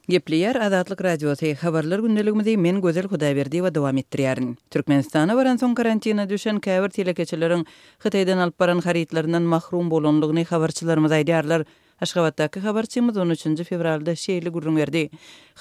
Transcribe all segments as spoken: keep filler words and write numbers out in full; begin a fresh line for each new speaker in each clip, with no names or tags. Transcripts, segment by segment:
Gepleýär Azatlyk Radiosy, Habarlar gündeligimizi men Gözel Hudaýberdiýewa dowam etdirýärin. Türkmenistana baransoň karantina düşen käbir telekeçileriň Hytaýdan alyp baran harytlaryndan mahrum bolandygyny habarçylarymyz aýdýarlar. Aşgabatdaky habarçymyz on üçünji fewralda şeýle gürrüň berdi.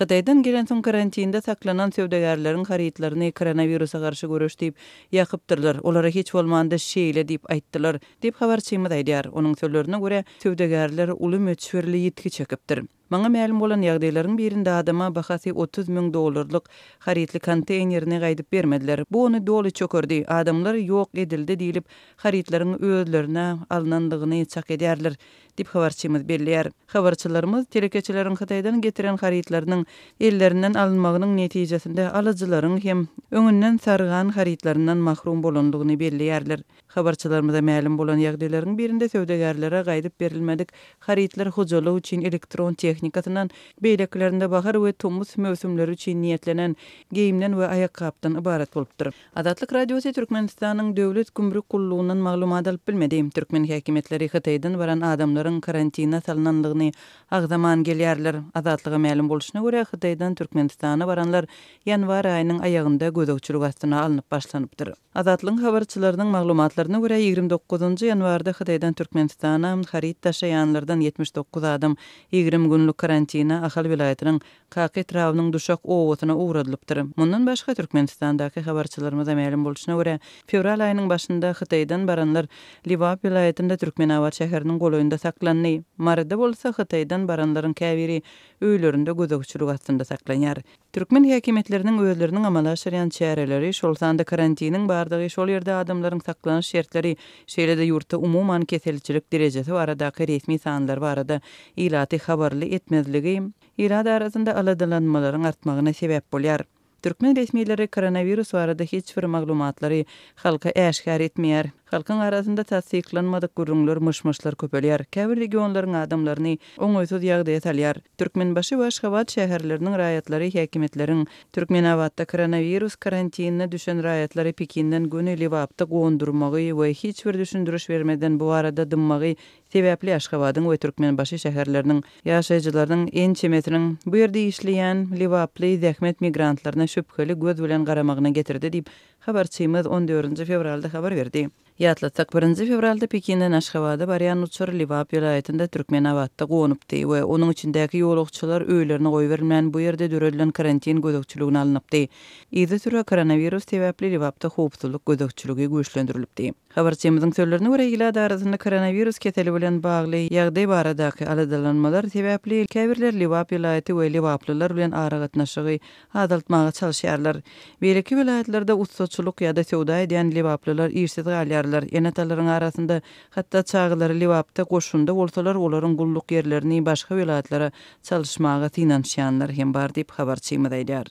Hytaýdan gelensoň karantinde saklanan söwdagärleriň harytlaryny koronawirusa garşy göreş diýip ýakypdyrlar. Olara hiç bolmanda şeýle diýip aýtdylar, diýip habarçymyz aýdýar. Onuň sözlerine görä, söwdagärler uly möçberli ýitgi çekipdir. Maňa mälim bolan ýagdaýlaryň birinde adama bahasy otuz müň dollarlyk harytly konteýnerini gaýdyp bermediler. Bu ony doly çökerdi. Adamlar ýok edildi diýlip, harytlaryň özlerine alnandygyny çak edýärler, diýip habarçymyz belleýär. Habarçylarymyz telekeçileriň Hytaýdan getiren harytlarynyň ellerinden alynmagynyň netijesinde alyjylaryň hem öňünden sargan harytlaryndan mahrum bolandygyny belleýärler. Habarçylarymyza mälim bolan ýagdaýlaryň birinde söwdagärlere gaýdyp berilmedik harytlar hojalyk üçin elektron tehnikasyndan, beýlekilerinde bahar we tomus möwsümleri üçin niýetlenen geýimden we aýakgapdan ybarat bolupdyr. Azatlyk Radiosy Türkmenistanyň Döwlet gümrük gullugyndan maglumat alyp bilmedi. Türkmen häkimiýetleri Hytaýdan baran adamlaryň karantina salnandygyny agzaman gelýärler. Azatlyga mälim bolşuna görä, Hytaýdan Türkmenistana baranlar ýanwar aýynyň aýagynda gözegçilik astyna alnyp başlanypdyr. Azatlygyň habarçylarynyň maglumatlaryna görä, ýigrimi dokuzynjy ýanwarda Hytaýdan Türkmenistana haryt daşaýanlardan ýetmiş dokuz adam ýigrimi günlük karantina Ahal welaýatynyň Kaka etrabynyň Duşak obasyna ugradylypdyr. Mundan başga Türkmenistandaky habarçylarymyza mälim bolşuna görä, fewral aýynyň başynda Hytaýdan baranlar Lebap welaýatynda Türkmenabat şäheriniň golaýynda saklandy. Maryda bolsa Hytaýdan baranlaryň käbiri öýlerinde gözegçilik astynda saklanýar. Türkmen häkimiýetleriniň özleriniň amala aşyrýan çäreleri, şol sanda karantiniň bardygy, şol ýerde adamlaryň saklanyş şertleri, şeýle-de ýurtda umuman keselçilik derejesi baradaky resmi sanlar barada ilaty habarly etmezligi ilat arasynda aladalanmalaryň artmagyna sebäp bolýar. Türkmen resmileri koronawirus barada hiç bir maglumatlary halka äşgär etmeýär. Halkyň arasynda tassyklanmadyk gürrüňler, myş-myşlar köpelýär. Käbir regionlaryň adamlaryny oňaýsyz ýagdaýa salýar. Türkmenbaşy we Aşgabat şäherleriniň raýatlary häkimiýetleriň Türkmenabatda koronawirus karantinine düşen raýatlary Pekinden göni Lebapda gondurmagy we hiç bir düşündiriş bermeden bu barada dymmagy sebäpli Aşgabadyň we Türkmenbaşy şäherleriniň ýaşaýjylarynyň ençemesiniň bu ýerde işleýän Lebaply zähmet migrantlaryna şübheli göz bilen garamagyna getirdi diýip habarçymyz on dördünji fewralda habar berdi. Ýatlatsak, birinji fewralda Pekinden Aşgabada barýan uçar Lebap welaýatynda Türkmenabatda gonupdy we onuň içindäki ýolagçylar öýlerine goýberilmän bu ýerde döredilen karantin gözegçiligine alnypdy. Yzysüre koronawirus sebäpli Lebapda howpsuzlyk gözegçiligi güýçlendirilipdi. Habarçymyzyň sözlerine görä, ilat arasynda koronawirus keseli bilen bagly ýagdaý baradaky aladalanmalar sebäpli käbirler Lebap welaýaty we lebaplylar bilen aragatnaşygy azaltmaga çalyşýarlar. Beýleki welaýatlarda ussaçylyk ýa-da söwda edýän lebaplylar işsiz galýarlar. Ene-atalaryň arasynda hatda çagalary Lebapda goşunda bolsalar, olaryň gulluk ýerlerini başga welaýatlara çalyşmaga synanyşýanlar hem bar diýip habarçymyz aýdýar.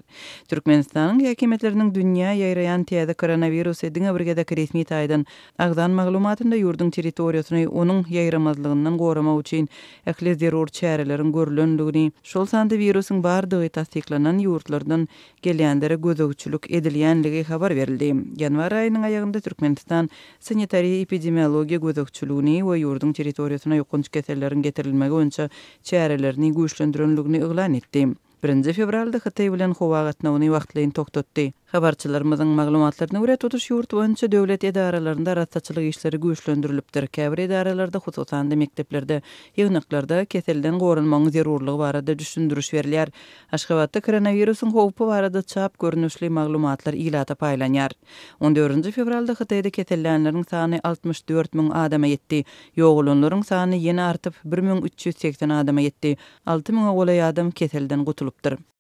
Türkmenistanyň häkimiýetleriniň dünýä ýaýraýan täze koronawirusy diňe bir gezek resmi taýdan agzan maglumatynda ýurduň territoriýasyny onuň ýaýramazlygyndan goramak üçin ähli zerur çäreleriň görülendigini, şol sanda wirusyň bardygy tassyklanan ýurtlardan gelýänlere gözegçilik edilýänligi habar berildi. Ýanwar aýynyň aýagynda Türkmenistan sanitariýa epidemiologiýa gözegçiligini we ýurduň territoriýasyna ýokanç keselleriň getirilmegi boýunça çärelerini güýçlendirenligini yglan etdi. Birinji fewralda Hytaý bilen howa gatnawyny wagtlaýyn togtatdy. Habarçylarymyzyň maglumatlaryna görä, tutuş ýurt boýunça döwlet edaralarynda arassaçylyk işleri güýçlendirilipdir. Käbir edaralarda, hususan-da mekdeplerde, ýygnaklarda keselden goranmagyň zerurlygy barada düşündiriş berilýär. Aşgabatda koronawirusyň howpy barada çap görnüşli maglumatlar ilata paýlanýar. On dördünji fewralda Hytaýda kesellänleriň sany altmyş dört müň adama ýetdi. Ýogalanlaryň sany ýene artyp, bir müň üç ýüz segsen adama ýetdi. Alty müňe golaý adam keselden gutulypdyr.